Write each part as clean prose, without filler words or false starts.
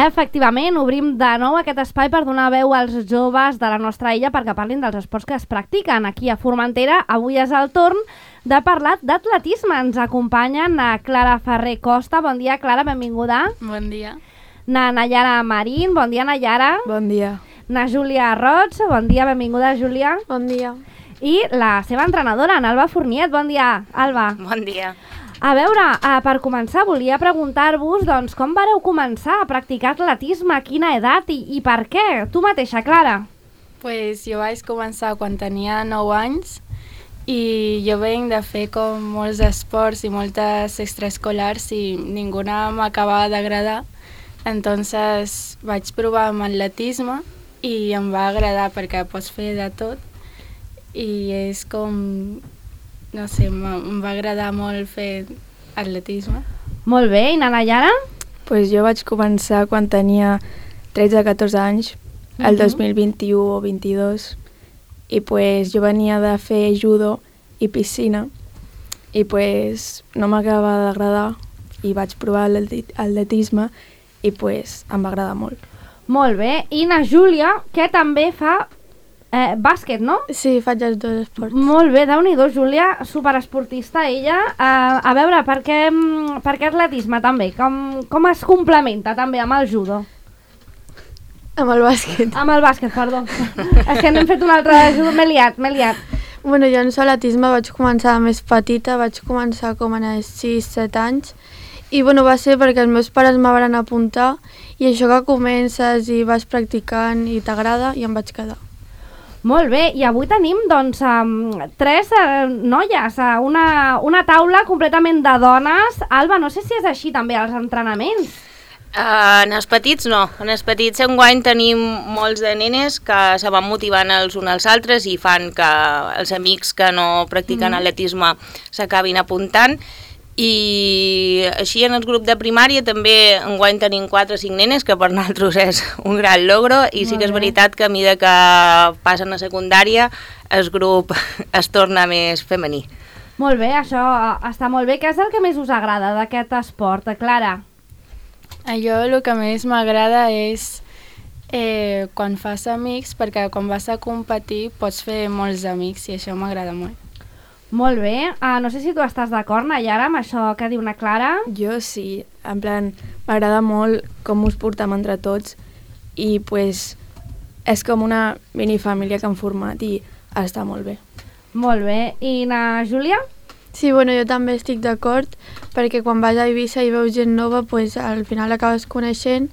Efectivament, obrim de nou aquest espai per donar veu als joves de la nostra illa perquè parlin dels esports que es practiquen. Aquí a Formentera avui és el torn de parlar d'atletisme. Ens acompanyen a Clara Ferrer Costa. Bon dia, Clara, benvinguda. Bon dia. Na Nayara Marín. Bon dia, Nayara. Bon dia. Na Júlia Roig. Bon dia, benvinguda, Júlia. Bon dia. I la seva entrenadora, en Alba Fourniet. Bon dia, Alba. Bon dia. A veure, per començar, volia preguntar-vos doncs, com vareu començar a practicar atletisme, a quina edat i per què? Tu mateixa, Clara. Pues jo vaig començar quan tenia 9 anys i jo venc de fer com molts esports i moltes extraescolars i ninguna m'acabava d'agradar. Entonces vaig provar amb atletisme i em va agradar perquè pots fer de tot i és com... No sé, em va agradar molt fer atletisme. Molt bé, i na Nayara? Pues jo vaig començar quan tenia 13-14 anys, el 2021 o 22, i pues jo venia de fer judo i piscina, i pues no m'acabava d'agradar, i vaig provar l'atletisme, i pues em va agradar molt. Molt bé, i na Júlia, que també fa bàsquet, no? Sí, faig els dos esports. Molt bé, Déu-n'hi-do, Júlia, superesportista ella. A veure, per què atletisme també? Com es complementa també amb el judo? Amb el bàsquet. Amb el bàsquet, perdó. És que n'hem fet un altre de judo, m'he liat. Bueno, jo en atletisme vaig començar més petita, vaig començar com a 6-7 anys i bueno, va ser perquè els meus pares me van apuntar i això que comences i vas practicant i t'agrada i em vaig quedar. Molt bé, i avui tenim doncs 3 noies, una taula completament de dones. Alba, no sé si és així també als entrenaments. En els petits no, en els petits enguany tenim molts de nenes que se van motivant els uns als altres i fan que els amics que no practiquen atletisme s'acabin apuntant. I així en el grup de primària també enguany tenim 4 o 5 nenes, que per nosaltres és un gran logro, i sí que és veritat que a mesura que passen a secundària el grup es torna més femení. Molt bé, això està molt bé. Què és el que més us agrada d'aquest esport, Clara? Jo el que més m'agrada és quan fas amics, perquè quan vas a competir pots fer molts amics i això m'agrada molt. Molt bé, no sé si tu estàs d'acord, Nayara, amb això que diu na Clara. Jo sí, en plan, m'agrada molt com us portem entre tots i pues és com una minifamília que han format i està molt bé. Molt bé, i na Júlia? Sí, bueno, jo també estic d'acord perquè quan vas a Eivissa i veus gent nova, pues, al final acabes coneixent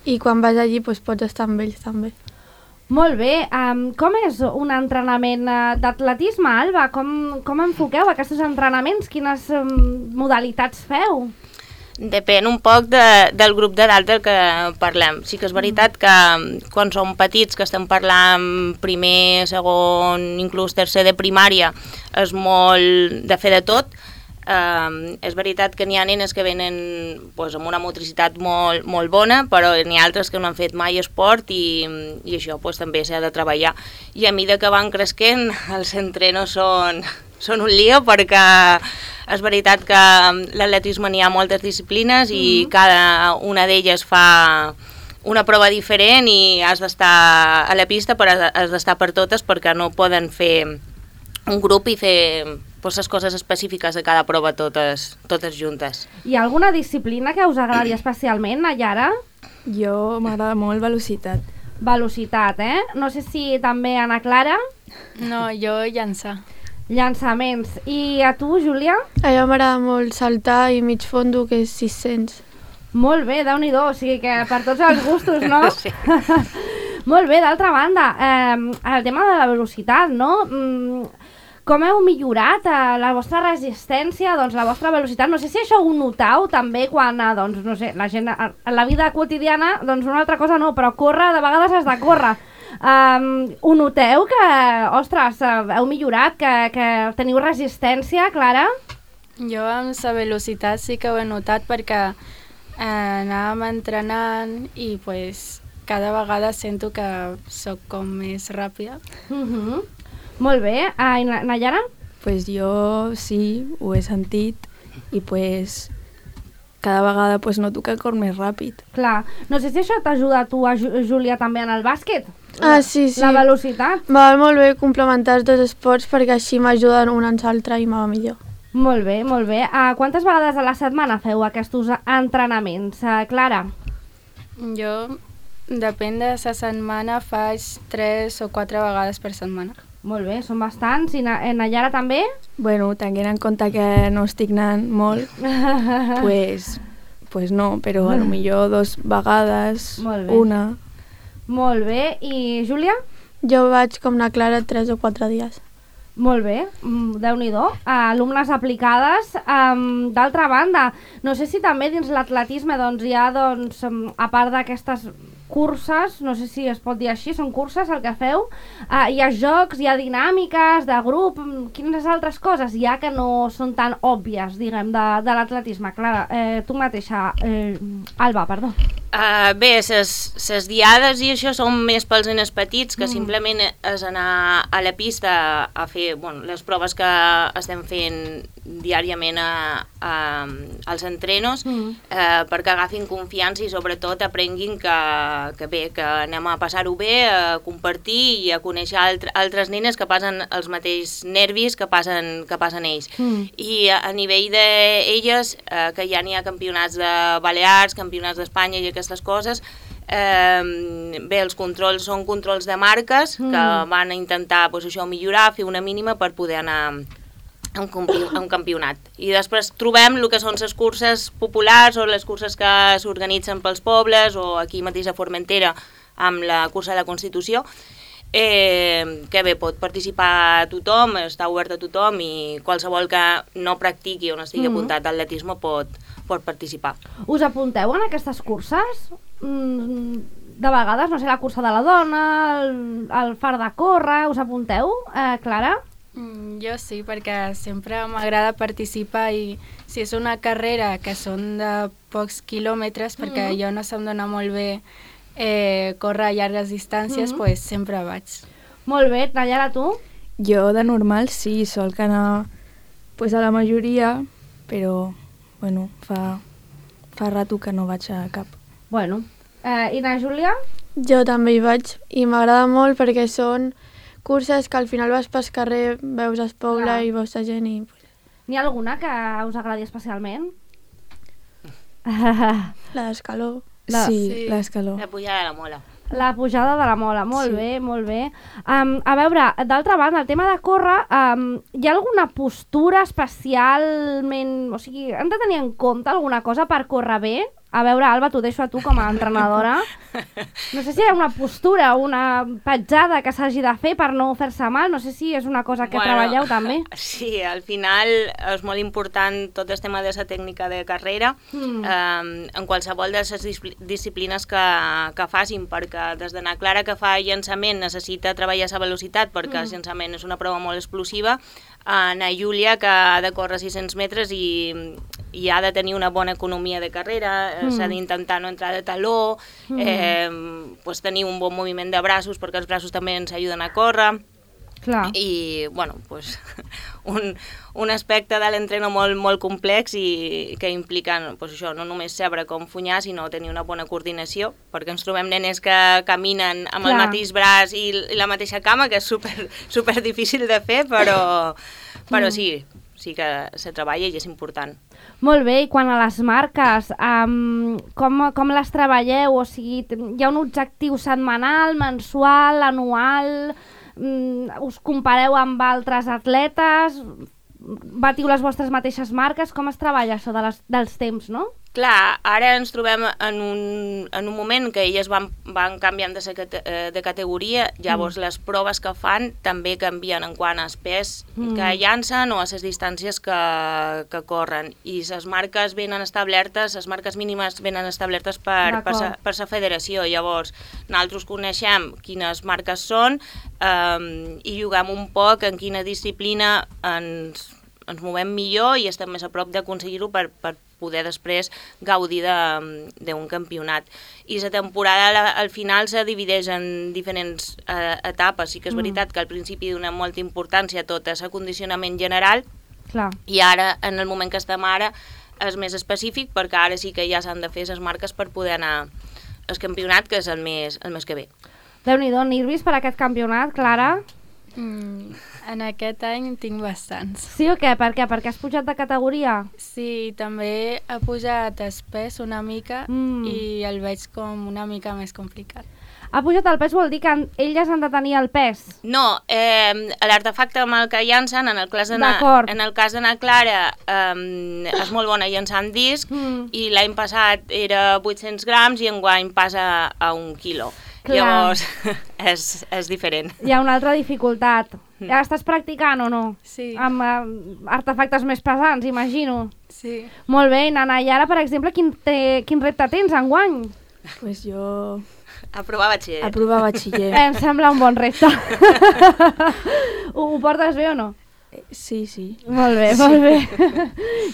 i quan vas allí pues, pots estar amb ells també. Molt bé, com és un entrenament d'atletisme, Alba? Com enfoqueu aquests entrenaments? Quines modalitats feu? Depèn un poc del grup d'edat del que parlem. Sí que és veritat que quan som petits, que estem parlant primer, segon, inclús tercer de primària, és molt de fer de tot. És veritat que n'hi ha nenes que venen doncs, amb una motricitat molt bona, però n'hi ha altres que no han fet mai esport i això doncs, també s'ha de treballar. I a mesura que van creixent, els entrenos són un lío perquè és veritat que l'atletisme n'hi ha moltes disciplines i cada una d'elles fa una prova diferent i has d'estar a la pista, però has d'estar per totes perquè no poden fer un grup i fer les coses específiques de cada prova totes juntes. Hi ha alguna disciplina que us agradi especialment, Nayara? Jo m'agrada molt velocitat. Velocitat, No sé si també Ana Clara? No, jo llançar. Llançaments. I a tu, Júlia? A mi m'agrada molt saltar i mig fondo, que és 600. Molt bé, Déu-n'hi-do, o sigui que per tots els gustos, no? Sí. Molt bé, d'altra banda, el tema de la velocitat, no? Com heu millorat la vostra resistència, doncs la vostra velocitat? No sé si això ho notau també quan, doncs, no sé, la gent en la vida quotidiana, doncs una altra cosa no, però córrer, de vegades has de córrer. Ho noteu que, ostres, heu millorat, que teniu resistència, Clara? Jo amb la velocitat sí que ho he notat perquè anàvem entrenant i pues, cada vegada sento que sóc com més ràpida. Molt bé. I Nayara? Pues jo sí, ho he sentit i pues cada vegada pues, noto que corro més ràpid. Clar. No sé si això t'ajuda a tu, Júlia, també en el bàsquet. Sí. La velocitat. Va molt bé complementar els dos esports perquè així m'ajuden un en l'altre i me va millor. Molt bé, molt bé. Quantes vegades a la setmana feu aquests entrenaments, Clara? Jo, depèn de la setmana, faig 3 o 4 vegades per setmana. Molt bé, són bastants. I en Nayara també? Bueno, tenint en compte que no estic anant molt, pues no, però a lo millor 2 vegades, Molt bé. una... Molt bé. I Júlia? Jo vaig com la Clara 3 o 4 dies. Molt bé, Déu-n'hi-do. Alumnes aplicades. D'altra banda, no sé si també dins l'atletisme doncs, hi ha, doncs, a part d'aquestes curses, no sé si es pot dir així, són curses el que feu, hi ha jocs, hi ha dinàmiques de grup, quines altres coses hi ha que no són tan òbvies, diguem, de l'atletisme? Clara, tu mateixa, Alba, perdó. Bé, ses diades i això són més pels nens petits, que simplement és anar a la pista a fer les proves que estem fent diàriament als entrenos, perquè agafin confiança i sobretot aprenguin que bé, que anem a passar-ho bé, a compartir i a conèixer altres nenes que passen els mateixos nervis que passen ells. I a nivell d'elles, que ja n'hi ha campionats de Balears, campionats d'Espanya i aquestes coses, bé, els controls són controls de marques que van a intentar això millorar, fer una mínima per poder anar a un campionat. I després trobem el que són les curses populars o les curses que s'organitzen pels pobles o aquí mateix a Formentera amb la cursa de la Constitució, que bé, pot participar tothom, està obert a tothom i qualsevol que no practiqui o no estigui apuntat d'atletisme pot participar. Us apunteu en aquestes curses? De vegades, no sé, la cursa de la dona, el far de córrer, us apunteu, Clara? Jo sí, perquè sempre m'agrada participar i si és una carrera que són de pocs quilòmetres, perquè jo no se'm dona molt bé córrer a llargues distàncies, doncs sempre vaig. Molt bé, Nayara, tu? Jo de normal sí, sol que anar a la majoria, però bueno, fa rato que no vaig a cap. Bueno, i na Júlia? Jo també hi vaig i m'agrada molt perquè són curses que al final vas pel carrer, veus el poble i veus la gent i... N'hi ha alguna que us agradi especialment? La d'escaló. Sí, l'escaló. La pujada de la Mola. La pujada de la Mola, molt bé, molt bé. A veure, d'altra banda, el tema de córrer, hi ha alguna postura especialment... O sigui, hem de tenir en compte alguna cosa per córrer bé? A veure, Alba, t'ho deixo a tu com a entrenadora. No sé si hi ha una postura, una petjada que s'hagi de fer per no fer-se mal. No sé si és una cosa que treballeu també. Sí, al final és molt important tot el tema de la tècnica de carrera en qualsevol de les disciplines que facin, perquè des d'anar Clara que fa llançament necessita treballar la velocitat perquè el llançament és una prova molt explosiva, na Júlia que ha de córrer 600 metres i ha de tenir una bona economia de carrera, s'ha d'intentar no entrar de taló, tenir un bon moviment de braços perquè els braços també ens ajuden a córrer. Clar. I, bueno, un aspecte de l'entreno molt complex i que implica això, no només saber com funyar, sinó tenir una bona coordinació, perquè ens trobem nenes que caminen amb el mateix braç i la mateixa cama, que és super difícil de fer, però sí que se treballa i és important. Molt bé, i quan a les marques, com les treballeu? O sigui, hi ha un objectiu setmanal, mensual, anual? Us compareu amb altres atletes? Batiu les vostres mateixes marques? Com es treballa això dels temps, no? Clar, ara ens trobem en un moment que elles van canviant de categoria, llavors les proves que fan també canvien en quant als pes que llancen o a les distàncies que corren. I les marques venen establertes, les marques mínimes venen establertes per la federació. Llavors, nosaltres coneixem quines marques són i juguem un poc en quina disciplina ens movem millor i estem més a prop d'aconseguir-ho per poder després gaudir d'un campionat. I la temporada al final se divideix en diferents etapes. Sí que és veritat que al principi dona molta importància a tot l'acondicionament general. Clar. I ara, en el moment que estem ara, és més específic, perquè ara sí que ja s'han de fer les marques per poder anar al campionat, que és el mes que ve. Déu-n'hi-do, nervis per aquest campionat, Clara? En aquest any tinc bastants. Sí o què? Per què? Perquè has pujat de categoria? Sí, també ha pujat el pes una mica i el veig com una mica més complicat. Ha pujat el pes vol dir que elles han de tenir el pes? No, l'artefacte amb el que llancen, en el cas d'Anna Clara, és molt bona llançant disc, i l'any passat era 800 grams i enguany passa a 1 quilo. Clar. Llavors, és diferent. Hi ha una altra dificultat. Ja estàs practicant o no? Sí. Amb artefactes més pesants, imagino. Sí. Molt bé, Nana. I ara, per exemple, quin repte tens enguany? Pues jo... Aprovar batxiller. Aprovar batxiller. Em sembla un bon repte. Ho portes bé o no? Sí, sí. Molt bé, molt bé.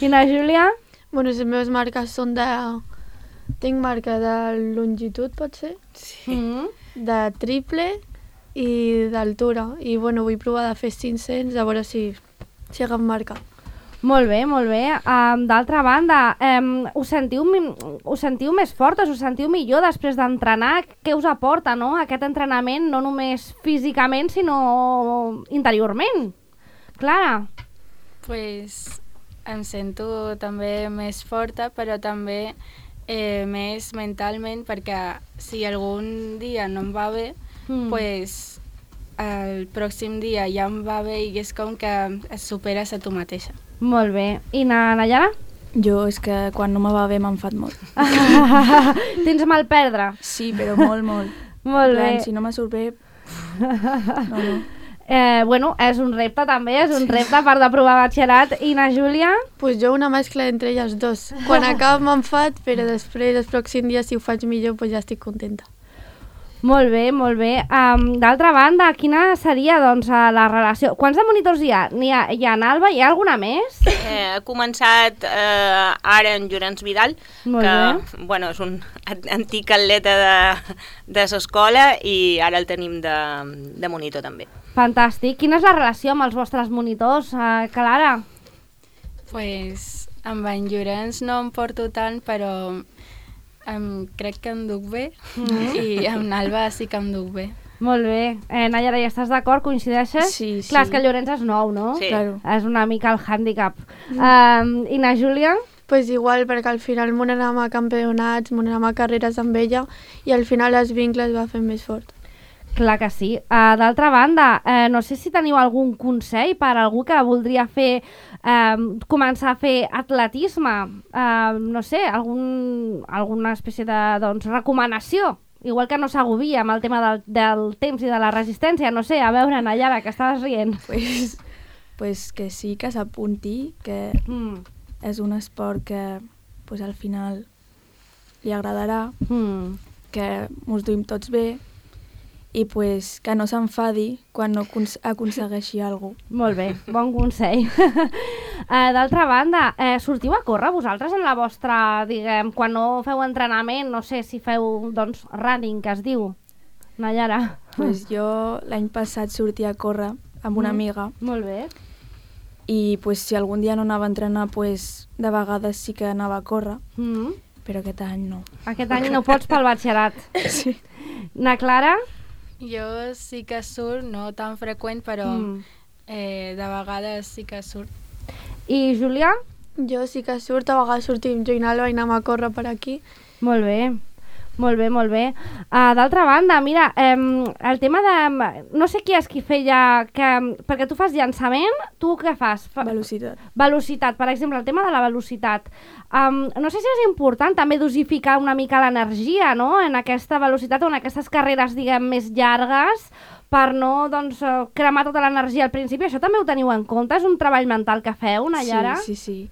I na Júlia? Bueno, les meves marques són de... Tinc marca de longitud, pot ser? Sí. De triple i d'altura. I bueno, vull provar de fer 500, a veure si agafo marca. Molt bé, molt bé. D'altra banda, us sentiu més fortes, us sentiu millor després d'entrenar? Què us aporta, no? Aquest entrenament, no només físicament, sinó interiorment. Clara? Pues em sento també més forta, però també més mentalment, perquè si algun dia no em va bé, pues el pròxim dia ja em va bé i és com que es superes a tu mateixa. Molt bé. I na Nayara? Jo és que quan no me va bé m'enfat molt. Tens mal perdre? Sí, però molt, molt. Molt bé. Si no me surt bé... No. Bueno, és un repte també, és un repte per d'aprovar batxillerat. I na Júlia? Pues jo una mescla entre elles dos. Quan acabo m'enfat, però després, el pròxim dia, si ho faig millor, pues ja estic contenta. Molt bé, molt bé. D'altra banda, quina seria doncs, la relació? Quants de monitors hi ha? Hi ha en Alba? Hi ha alguna més? Ha començat ara en Llorenç Vidal, Molt que bé. bueno, és un antic atleta de l'escola i ara el tenim de monitor també. Fantàstic. Quina és la relació amb els vostres monitors, Clara? Pues amb en Llorenç no em porto tant, però crec que em duc bé i amb Alba sí que em duc bé. Molt bé. Nayara, ja estàs d'acord? Coincideixes? Sí, sí. Clar, és que el Llorenç és nou, no? Sí. Claro. És una mica el hàndicap. I na Júlia? Pues igual, perquè al final m'ho anàvem a campionats, m'ho anàvem a carreres amb ella i al final els vincles va fer més fort. Clar que sí. D'altra banda, no sé si teniu algun consell per a algú que voldria fer començar a fer atletisme, no sé, alguna espècie de recomanació, igual que no s'agobia amb el tema del temps i de la resistència, no sé, a veure, Nayara, que estaves rient. Pues que sí, que s'apunti, que és un esport que pues, al final li agradarà, que mos duim tots bé, i pues, que no s'enfadi quan no aconsegueixi alguna cosa. Molt bé, bon consell. D'altra banda, sortiu a córrer vosaltres en la vostra, diguem, quan no feu entrenament, no sé si feu, doncs, running, que es diu, Nayara? Pues jo l'any passat sortia a córrer amb una amiga Molt bé. i pues, si algun dia no anava a entrenar, pues, de vegades sí que anava a córrer, però aquest any no. Aquest any no pots pel batxillerat. Sí. Na Clara? Jo sí que surt, no tan freqüent, però de vegades sí que surt. I Júlia? Jo sí que surt, a vegades sortim jo i l'Alba i anem a córrer per aquí. Molt bé. Molt bé, molt bé. D'altra banda, mira, el tema de... No sé qui és qui feia... perquè tu fas llançament, tu què fas? Velocitat. Velocitat, per exemple, el tema de la velocitat. No sé si és important també dosificar una mica l'energia, no?, en aquesta velocitat o en aquestes carreres, diguem, més llargues, per no, doncs, cremar tota l'energia al principi. Això també ho teniu en compte? És un treball mental que feu, Nayara? Sí.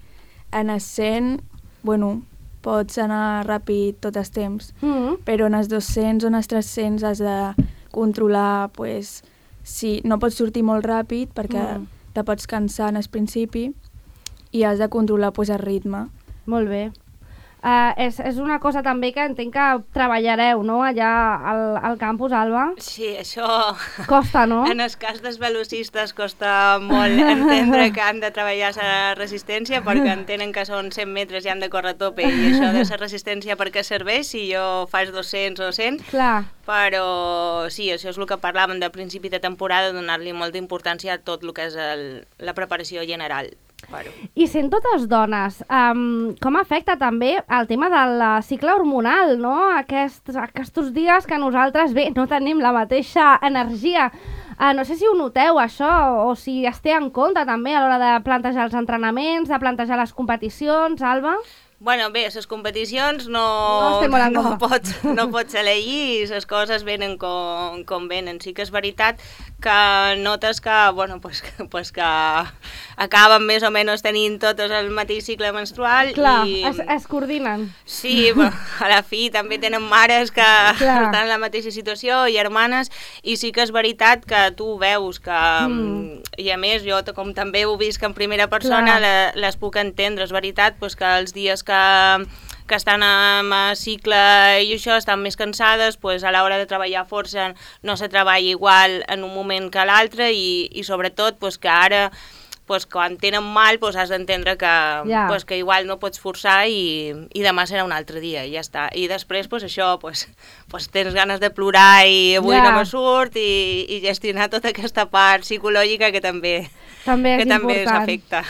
En el 100, bueno, pots anar ràpid tot el temps, però en els 200 o en els 300 has de controlar, pues, si no pots sortir molt ràpid perquè te pots cansar en el principi i has de controlar pues, el ritme. Molt bé. És una cosa també que entenc que treballareu, no?, allà al campus, Alba? Sí, això... Costa, no? En el cas dels velocistes costa molt entendre que han de treballar la resistència perquè entenen que són 100 metres i han de córrer a tope i això de la resistència per què serveix si jo faig 200 o 100. Clar. Però sí, això és el que parlàvem de principi de temporada, donar-li molta importància a tot el que és la preparació general. Però... I sent totes dones, com afecta també el tema del cicle hormonal, no? Aquests dies que nosaltres, bé, no tenim la mateixa energia. No sé si ho noteu, això, o si es té en compte també a l'hora de plantejar els entrenaments, de plantejar les competicions, Alba? Bueno, bé, les competicions no pots elegir i les coses venen com venen. Sí que és veritat que notes que, bueno, pues que acaben més o menys tenint totes el mateix cicle menstrual. Clar, i... es coordinen. Sí, bueno, a la fi també tenen mares que estan en la mateixa situació, i germanes, i sí que és veritat que tu veus que, i a més jo com també ho visc en primera persona, les puc entendre. És veritat pues, que els dies que estan en cicle i això estan més cansades, pues, a l'hora de treballar força no se treballa igual en un moment que l'altre i sobretot pues, que ara pues, quan tenen mal pues, has d'entendre que, pues, que igual no pots forçar i demà serà un altre dia i ja està. I després pues, això, pues, tens ganes de plorar i avui no me surt i gestionar tota aquesta part psicològica que també s'afecta.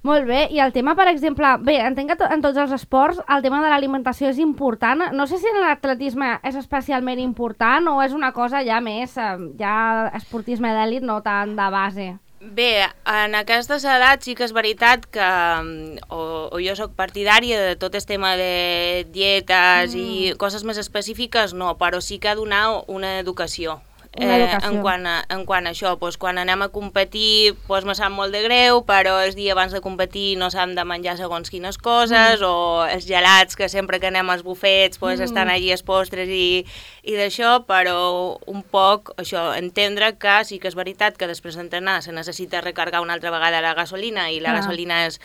Molt bé, i el tema, per exemple, bé, entenc que en tots els esports el tema de l'alimentació és important. No sé si en l'atletisme és especialment important o és una cosa ja més, ja esportisme d'èlit, no tant de base. Bé, en aquestes edats sí que és veritat que o jo sóc partidària de tot el tema de dietes i coses més específiques, no, però sí que ha de donar una educació. En quant a això, doncs, quan anem a competir doncs, me sap molt de greu, però el dia abans de competir no s'han de menjar segons quines coses, o els gelats que sempre que anem als bufets doncs, estan allí els postres i d'això, però un poc això, entendre que sí que és veritat que després d'entrenar se necessita recargar una altra vegada la gasolina i la gasolina és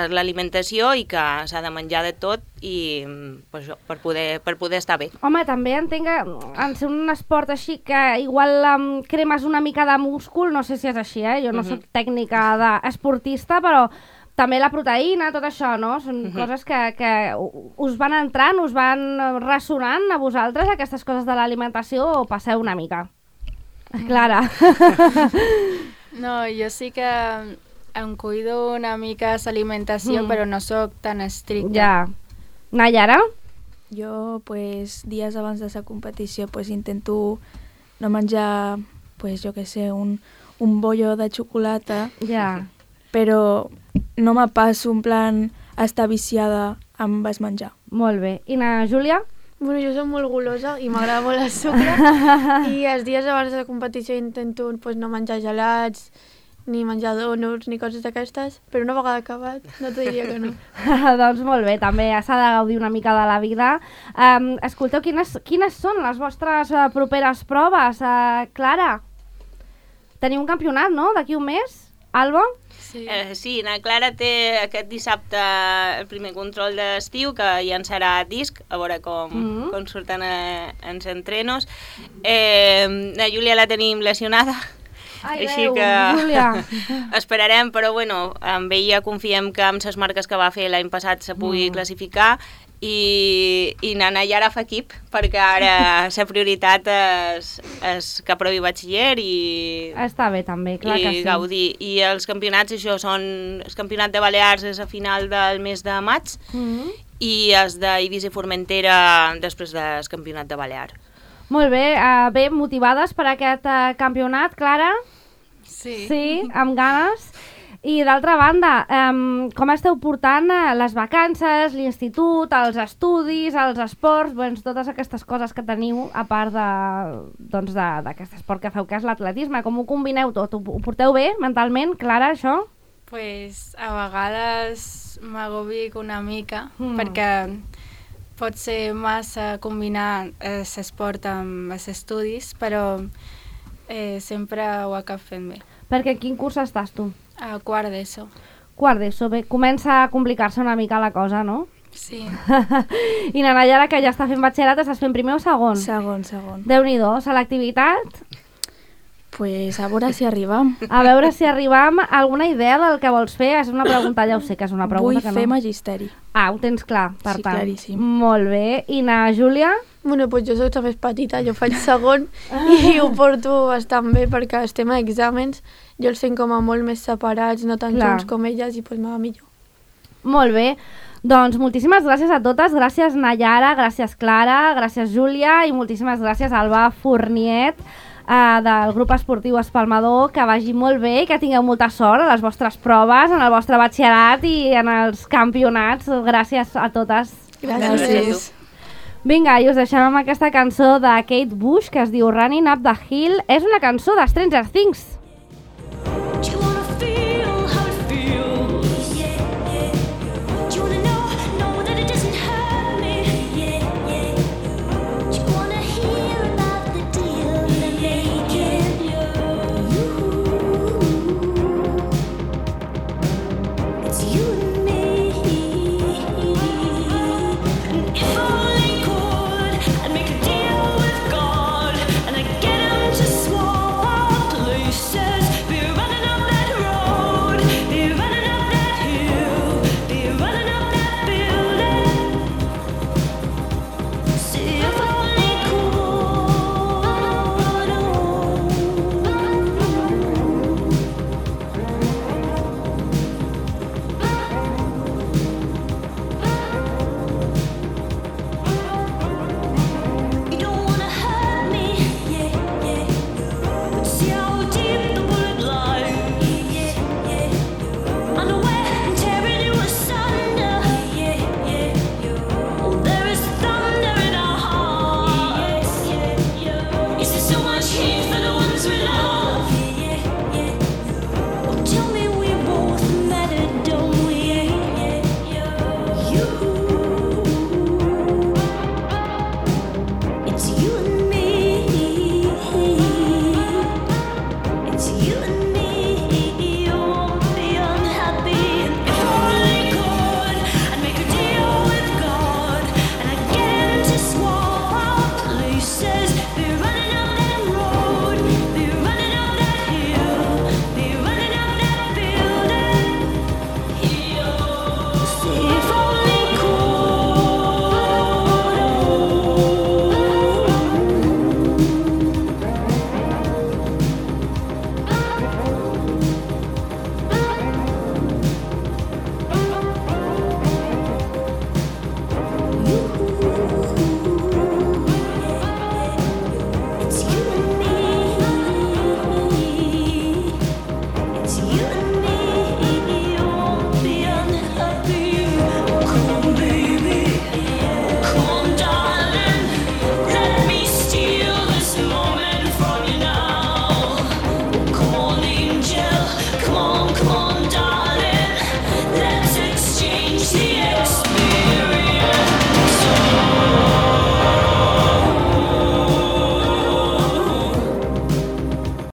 l'alimentació i que s'ha de menjar de tot i pues, això, per poder estar bé. Home, també entenc que en ser un esport així que igual cremes una mica de múscul, no sé si és així, jo no soc tècnica d'esportista, però també la proteïna, tot això, no? Són coses que us van entrant, us van ressonant a vosaltres, aquestes coses de l'alimentació, o passeu una mica? Clara. No, jo sí que em cuido una mica l'alimentació, però no sóc tan estricta. Ja. Nayara? Jo, pues, dies abans de la competició, pues, intento no menjar, pues, jo què sé, un bollo de xocolata, però no me passo en plan estar viciada amb el menjar. Molt bé. I na Júlia? Bueno, jo soc molt golosa i m'agrada molt el sucre i els dies abans de la competició intento pues, no menjar gelats, ni menjar donuts, ni coses d'aquestes, però una vegada acabat no t'ho diria que no. Doncs molt bé, també s'ha de gaudir una mica de la vida. Escolteu, quines són les vostres properes proves? Clara, teniu un campionat, no?, d'aquí un mes? Alba? Sí, na Clara té aquest dissabte el primer control d'estiu, que ja en serà disc, a veure com surten els entrenos. La Júlia la tenim lesionada, Ai, així Déu, que Júlia. esperarem, però bueno, amb ella confiem que amb les marques que va fer l'any passat se pugui classificar i na Nayara fa equip, perquè ara la prioritat és que aprovi batxiller i està bé també, clar que sí. Gaudir. I els campionats, això són el campionat de Balears és a final del mes de maig i els d'Eivissa i Formentera després del campionat de Balears. Molt bé, bé, motivades per aquest campionat, Clara? Sí. Sí, amb ganes. I d'altra banda, com esteu portant les vacances, l'institut, els estudis, els esports, doncs, totes aquestes coses que teniu, a part d'aquest esport que feu, que és l'atletisme? Com ho combineu tot? Ho porteu bé mentalment, Clara, això? Pues a vegades m'agobic una mica, perquè pot ser massa combinar l'esport amb els estudis, però sempre ho acabo fent bé. Perquè en quin curs estàs tu? A quart d'ESO. Quart d'ESO, bé, comença a complicar-se una mica la cosa, no? Sí. I na Nayara, que ja està fent batxillerat, estàs fent primer o segon? Segon. Déu-n'hi-do, selectivitat? Pues a veure si arribam. A veure si arribam a alguna idea del que vols fer. És una pregunta, ja ho sé que és una pregunta Vull que no. fer magisteri. Ho tens clar, per Sí, tant. claríssim. Molt bé. I na Júlia? Bueno, doncs jo soc més petita, jo faig segon i ho porto bastant bé perquè estem a exàmens, jo els fem com a molt més separats, no tan Clar. junts com elles, i doncs m'ha millor. Molt bé. Doncs moltíssimes gràcies a totes. Gràcies Nayara, gràcies Clara, gràcies Júlia i moltíssimes gràcies Alba Fourniet del grup esportiu Espalmador. Que vagi molt bé i que tingueu molta sort a les vostres proves, en el vostre batxillerat i en els campionats. Gràcies a totes. Gràcies. Vinga, i us deixem amb aquesta cançó de Kate Bush que es diu Running Up the Hill. És una cançó de Stranger Things.